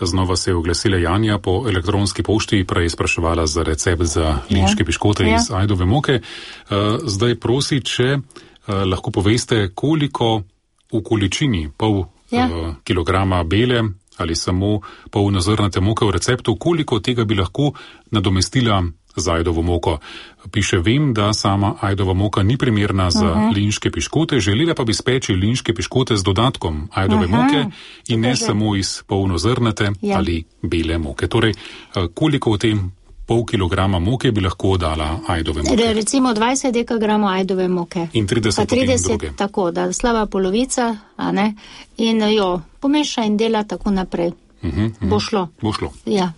Znova se je oglasila Janja po elektronski pošti, prej spraševala za recept za linške piškote iz ajdove moke. Zdaj prosi, če lahko poveste, koliko v količini pol kilograma bele ali samo polnozrnate moke v receptu, koliko tega bi lahko nadomestila z ajdovo moko. Piše, vem, da sama ajdova moka ni primerna za linške piškote, želela pa bi speči linške piškote z dodatkom ajdove moke in ne samo iz polnozrnate ali bele moke. Torej, koliko v tem pol kilograma moke bi lahko dala ajdove moke? Recimo 20 dekagramov ajdove moke. In 30 druge. Tako, da slaba polovica, a ne, in jo pomeša in dela tako naprej. Bo šlo. Bo šlo. Ja.